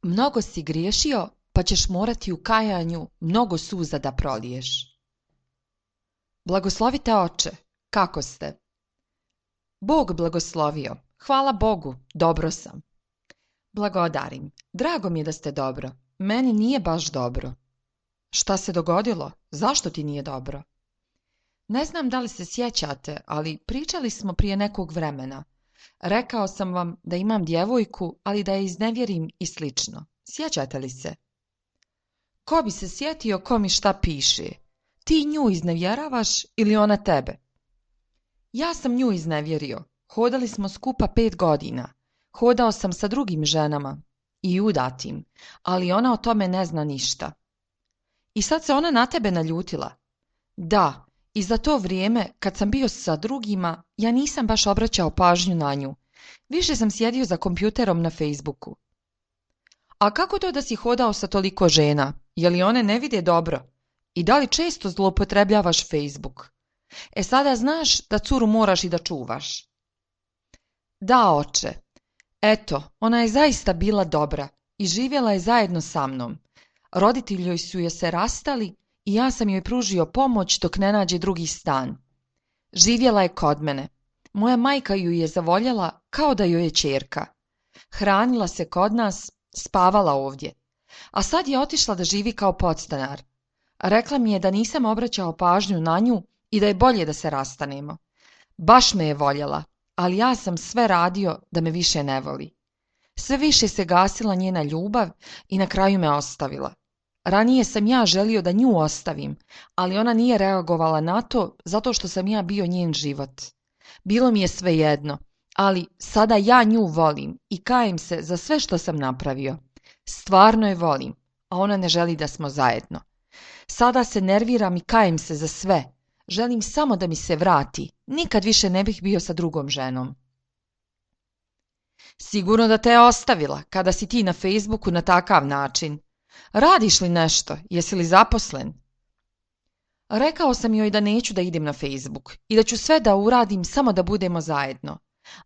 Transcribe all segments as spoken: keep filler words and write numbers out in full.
Mnogo si griješio, pa ćeš morati u kajanju mnogo suza da proliješ. Blagoslovite oče, kako ste? Bog blagoslovio, hvala Bogu, dobro sam. Blagodarim, drago mi je da ste dobro, meni nije baš dobro. Šta se dogodilo? Zašto ti nije dobro? Ne znam da li se sjećate, ali pričali smo prije nekog vremena. Rekao sam vam da imam djevojku, ali da je iznevjerim i slično. Sjećate li se? Ko bi se sjetio ko mi šta piše? Ti nju iznevjeravaš ili ona tebe? Ja sam nju iznevjerio. Hodali smo skupa pet godina. Hodao sam sa drugim ženama i udatim, ali ona o tome ne zna ništa. I sad se ona na tebe naljutila. Da, i za to vrijeme, kad sam bio sa drugima, ja nisam baš obraćao pažnju na nju. Više sam sjedio za kompjuterom na Facebooku. A kako to da si hodao sa toliko žena? Je li one ne vide dobro? I da li često zloupotrebljavaš Facebook? E sada znaš da curu moraš i da čuvaš. Da, oče. Eto, ona je zaista bila dobra i živjela je zajedno sa mnom. Roditelji su joj se rastali i ja sam joj pružio pomoć dok ne nađe drugi stan. Živjela je kod mene. Moja majka ju je zavoljela kao da joj je ćerka. Hranila se kod nas, spavala ovdje. A sad je otišla da živi kao podstanar. Rekla mi je da nisam obraćao pažnju na nju i da je bolje da se rastanemo. Baš me je voljela, ali ja sam sve radio da me više ne voli. Sve više se gasila njena ljubav i na kraju me ostavila. Ranije sam ja želio da nju ostavim, ali ona nije reagovala na to zato što sam ja bio njen život. Bilo mi je svejedno, ali sada ja nju volim i kajem se za sve što sam napravio. Stvarno je volim, a ona ne želi da smo zajedno. Sada se nerviram i kajem se za sve. Želim samo da mi se vrati. Nikad više ne bih bio sa drugom ženom. Sigurno da te je ostavila kada si ti na Facebooku na takav način. Radiš li nešto? Jesi li zaposlen? Rekao sam joj da neću da idem na Facebook i da ću sve da uradim samo da budemo zajedno.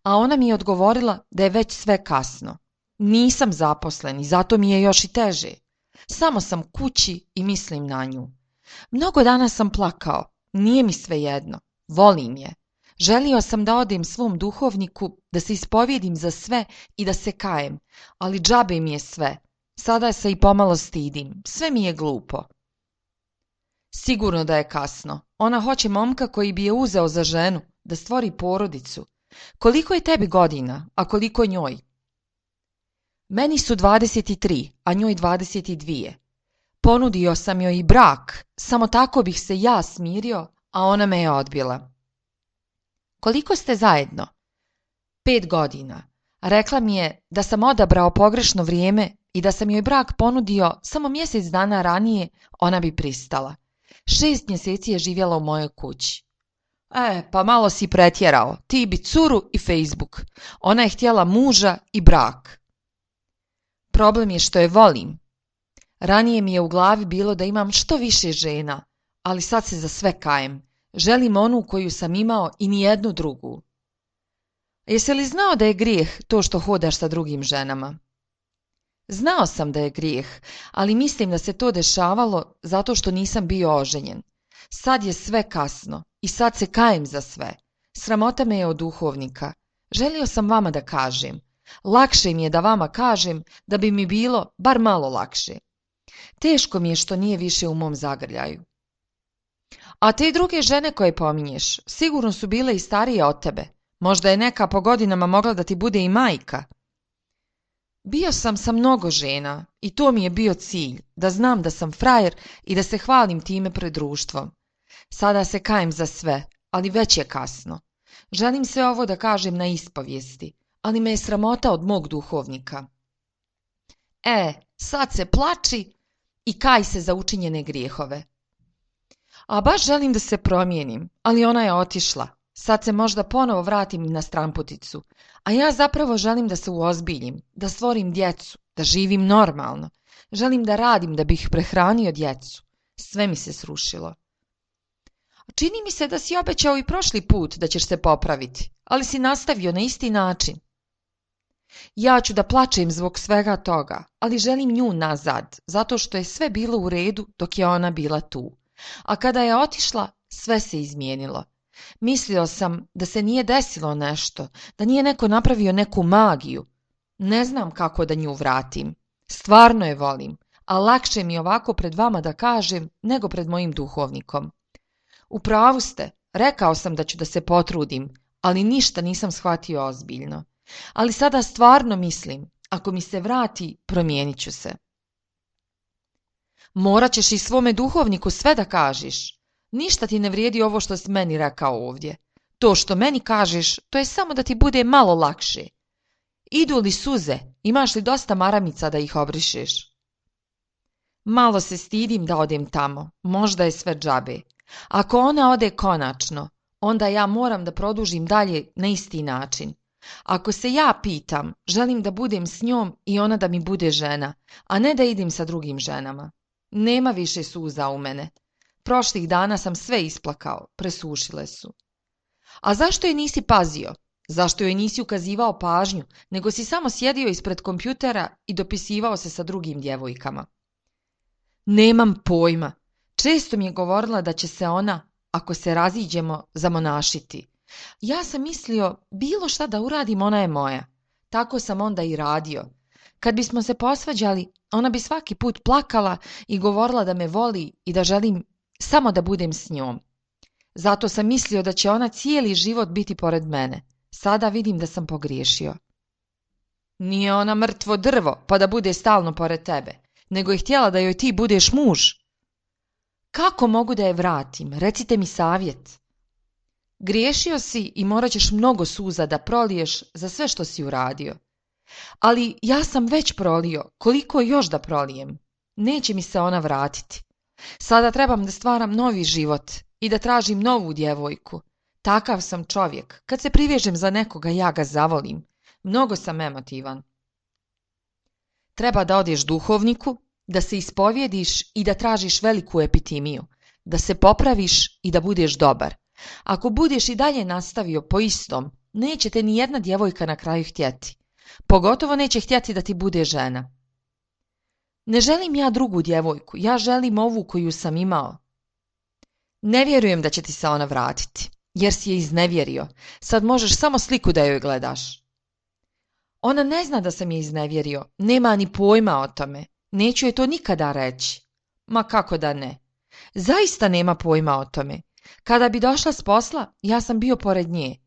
A ona mi je odgovorila da je već sve kasno. Nisam zaposlen i zato mi je još i teže. Samo sam kući i mislim na nju. Mnogo dana sam plakao. Nije mi svejedno. Volim je. Želio sam da odem svom duhovniku, da se ispovjedim za sve i da se kajem, ali džabe mi je sve. Sada se i pomalo stidim. Sve mi je glupo. Sigurno da je kasno. Ona hoće momka koji bi je uzeo za ženu, da stvori porodicu. Koliko je tebi godina, a koliko njoj? Meni su dvadeset tri, a njoj dvadeset dvije. Ponudio sam joj i brak, samo tako bih se ja smirio, a ona me je odbila. Koliko ste zajedno? Pet godina. Rekla mi je da sam odabrao pogrešno vrijeme i da sam joj brak ponudio samo mjesec dana ranije, ona bi pristala. Šest mjeseci je živjela u mojoj kući. E, pa malo si pretjerao, ti bi curu i Facebook. Ona je htjela muža i brak. Problem je što je volim. Ranije mi je u glavi bilo da imam što više žena, ali sad se za sve kajem. Želim onu koju sam imao i nijednu drugu. Jesi li znao da je grijeh to što hodaš sa drugim ženama? Znao sam da je grijeh, ali mislim da se to dešavalo zato što nisam bio oženjen. Sad je sve kasno i sad se kajem za sve. Sramota me je od duhovnika. Želio sam vama da kažem. Lakše mi je da vama kažem da bi mi bilo bar malo lakše. Teško mi je što nije više u mom zagrljaju. A te druge žene koje pominješ, sigurno su bile i starije od tebe. Možda je neka po godinama mogla da ti bude i majka. Bio sam sa mnogo žena i to mi je bio cilj, da znam da sam frajer i da se hvalim time pred društvom. Sada se kajem za sve, ali već je kasno. Želim sve ovo da kažem na ispovijesti, ali me je sramota od mog duhovnika. E, sad se plači i kaj se za učinjene grijehove. A baš želim da se promijenim, ali ona je otišla. Sad se možda ponovo vratim na stranputicu, a ja zapravo želim da se uozbiljim, da stvorim djecu, da živim normalno. Želim da radim da bih prehranio djecu. Sve mi se srušilo. Čini mi se da si obećao i prošli put da ćeš se popraviti, ali si nastavio na isti način. Ja ću da plačem zbog svega toga, ali želim nju nazad, zato što je sve bilo u redu dok je ona bila tu. A kada je otišla, sve se izmijenilo. Mislio sam da se nije desilo nešto, da nije neko napravio neku magiju. Ne znam kako da nju vratim. Stvarno je volim, a lakše mi ovako pred vama da kažem nego pred mojim duhovnikom. U pravu ste, rekao sam da ću da se potrudim, ali ništa nisam shvatio ozbiljno. Ali sada stvarno mislim, ako mi se vrati, promijenit ću se. Morat ćeš i svome duhovniku sve da kažeš. Ništa ti ne vrijedi ovo što si meni rekao ovdje. To što meni kažeš, to je samo da ti bude malo lakše. Idu li suze, imaš li dosta maramica da ih obrišeš? Malo se stidim da odem tamo, možda je sve džabe. Ako ona ode konačno, onda ja moram da produžim dalje na isti način. Ako se ja pitam, želim da budem s njom i ona da mi bude žena, a ne da idem sa drugim ženama. Nema više suza u mene. Prošlih dana sam sve isplakao, presušile su. A zašto je nisi pazio? Zašto joj nisi ukazivao pažnju, nego si samo sjedio ispred kompjutera i dopisivao se sa drugim djevojkama? Nemam pojma. Često mi je govorila da će se ona, ako se raziđemo, zamonašiti. Ja sam mislio, bilo šta da uradim, ona je moja. Tako sam onda i radio. Kad bismo se posvađali, ona bi svaki put plakala i govorila da me voli i da želim samo da budem s njom. Zato sam mislio da će ona cijeli život biti pored mene. Sada vidim da sam pogriješio. Nije ona mrtvo drvo, pa da bude stalno pored tebe, nego je htjela da joj ti budeš muž. Kako mogu da je vratim? Recite mi savjet. Griješio si i morat ćeš mnogo suza da proliješ za sve što si uradio. Ali ja sam već prolio, koliko još da prolijem? Neće mi se ona vratiti. Sada trebam da stvaram novi život i da tražim novu djevojku. Takav sam čovjek. Kad se privežem za nekoga, ja ga zavolim. Mnogo sam emotivan. Treba da odeš duhovniku, da se ispovjediš i da tražiš veliku epitimiju, da se popraviš i da budeš dobar. Ako budeš i dalje nastavio po istom, neće te ni jedna djevojka na kraju htjeti. Pogotovo neće htjeti da ti bude žena. Ne želim ja drugu djevojku, ja želim ovu koju sam imao. Ne vjerujem da će ti se ona vratiti, jer si je iznevjerio. Sad možeš samo sliku da joj gledaš. Ona ne zna da sam je iznevjerio, nema ni pojma o tome. Neću je to nikada reći. Ma kako da ne? Zaista nema pojma o tome. Kada bi došla s posla, ja sam bio pored nje.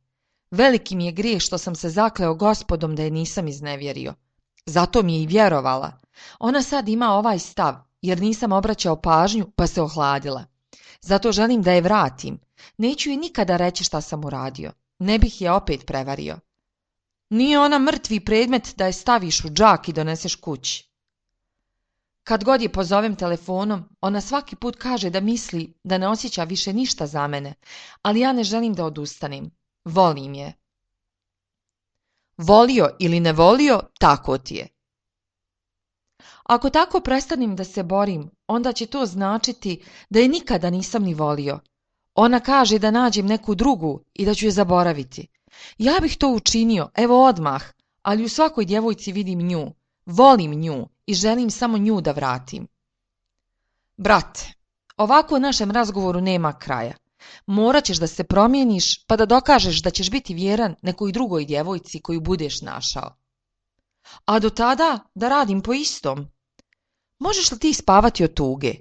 Veliki mi je grijeh što sam se zakleo Gospodom da je nisam iznevjerio. Zato mi je i vjerovala. Ona sad ima ovaj stav, jer nisam obraćao pažnju pa se ohladila. Zato želim da je vratim. Neću joj nikada reći šta sam uradio. Ne bih je opet prevario. Nije ona mrtvi predmet da je staviš u džak i doneseš kući. Kad god je pozovem telefonom, ona svaki put kaže da misli da ne osjeća više ništa za mene, ali ja ne želim da odustanem. Volim je. Volio ili ne volio, tako ti je. Ako tako prestanem da se borim, onda će to značiti da je nikada nisam ni volio. Ona kaže da nađem neku drugu i da ću je zaboraviti. Ja bih to učinio, evo odmah, ali u svakoj djevojci vidim nju. Volim nju i želim samo nju da vratim. Brate, ovako u našem razgovoru nema kraja. Morat ćeš da se promijeniš pa da dokažeš da ćeš biti vjeran nekoj drugoj djevojci koju budeš našao. A do tada da radim po istom. Možeš li ti spavati od tuge?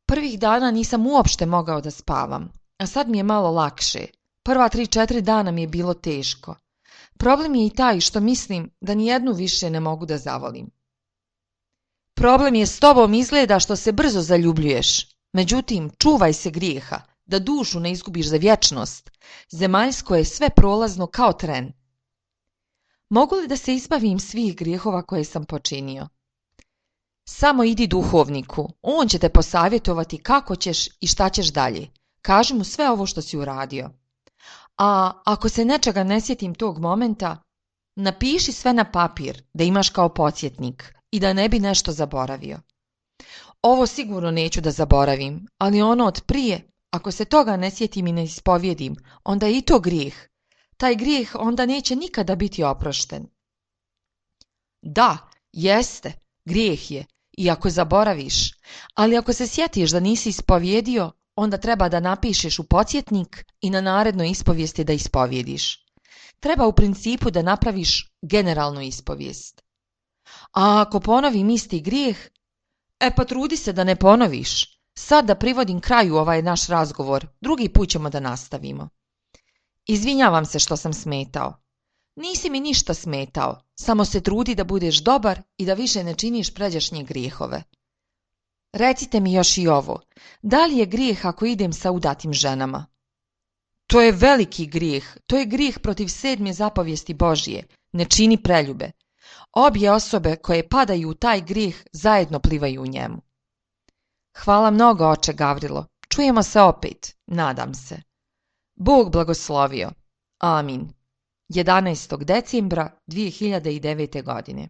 Prvih dana nisam uopšte mogao da spavam, a sad mi je malo lakše. Prva tri, četiri dana mi je bilo teško. Problem je i taj što mislim da nijednu više ne mogu da zavolim. Problem je s tobom izgleda što se brzo zaljubljuješ. Međutim, čuvaj se grijeha, da dušu ne izgubiš za vječnost. Zemaljsko je sve prolazno kao tren. Mogu li da se izbavim svih grijehova koje sam počinio? Samo idi duhovniku, on će te posavjetovati kako ćeš i šta ćeš dalje. Kaži mu sve ovo što si uradio. A ako se nečega ne sjetim tog momenta, napiši sve na papir da imaš kao podsjetnik i da ne bi nešto zaboravio. Ovo sigurno neću da zaboravim, ali ono od prije, ako se toga ne sjetim i ne ispovjedim, onda je i to grijeh. Taj grijeh onda neće nikada biti oprošten. Da, jeste, grijeh je, i ako zaboraviš, ali ako se sjetiš da nisi ispovjedio, onda treba da napišeš u podsjetnik i na narednoj ispovijesti da ispovjediš. Treba u principu da napraviš generalnu ispovijest. A ako ponovim isti grijeh, e pa trudi se da ne ponoviš. Sad da privodim kraju ovaj naš razgovor, drugi put ćemo da nastavimo. Izvinjavam se što sam smetao. Nisi mi ništa smetao, samo se trudi da budeš dobar i da više ne činiš pređašnje grijehove. Recite mi još i ovo, da li je grijeh ako idem sa udatim ženama? To je veliki grijeh, to je grijeh protiv sedme zapovijesti Božije, ne čini preljube. Obje osobe koje padaju u taj grijeh zajedno plivaju u njemu. Hvala mnogo, oče Gavrilo, čujemo se opet, nadam se. Bog blagoslovio. Amin. jedanaestog decembra dvije hiljade devete. godine.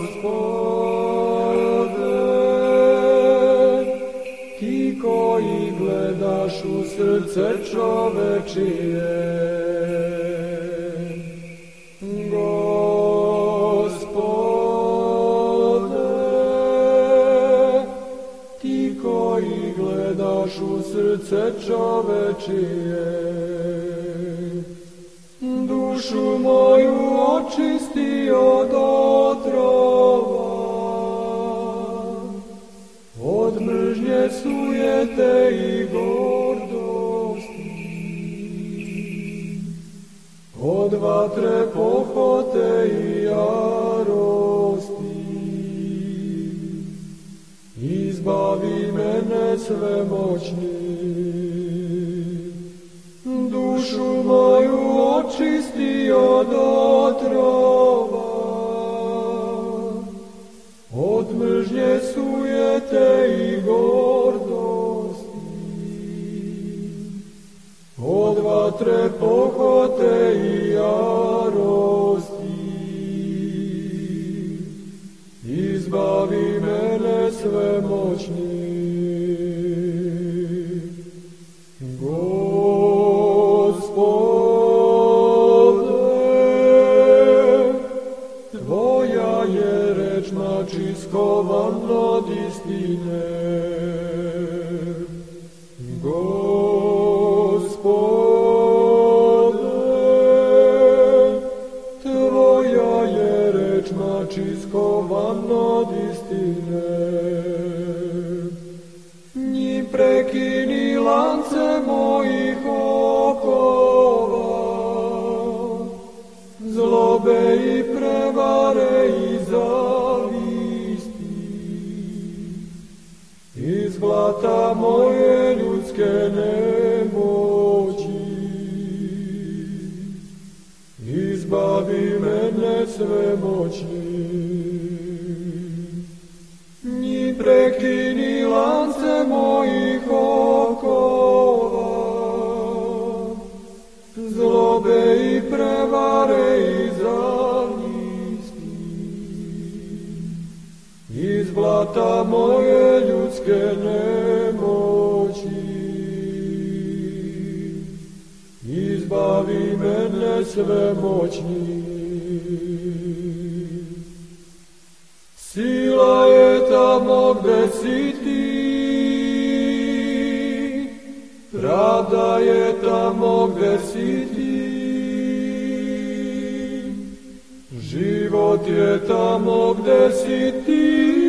Gospode, ti koji gledaš u srce čovečije, u srce čovečije, dušu moju očisti od otrova, od mržnje sujete i gordosti, od vatre pohote i jarosti. Izbavi mene svemoćni, dušu moju očisti od otrova, od mržnje sujete i gordosti, od vatre pohote i jarosti. Izbavi mene svemoćni. Gospode, tvoja je reč nači skovan od istine. Gospode, tvoja je reč nači skovan od istine. Njim prekini lance mojih okova, zlobe i prevare i zavisti. Iz blata moje ljudske nemoći, izbavi mene svemoćni. Njim prekini lance mojih okova, zlobe i prevare i zavisti. Iz blata moje ljudske nemoći, izbavi mene svemoćni. Sila je tamo gde si ti, pravda je tamo gde si ti, život je tamo gde si ti,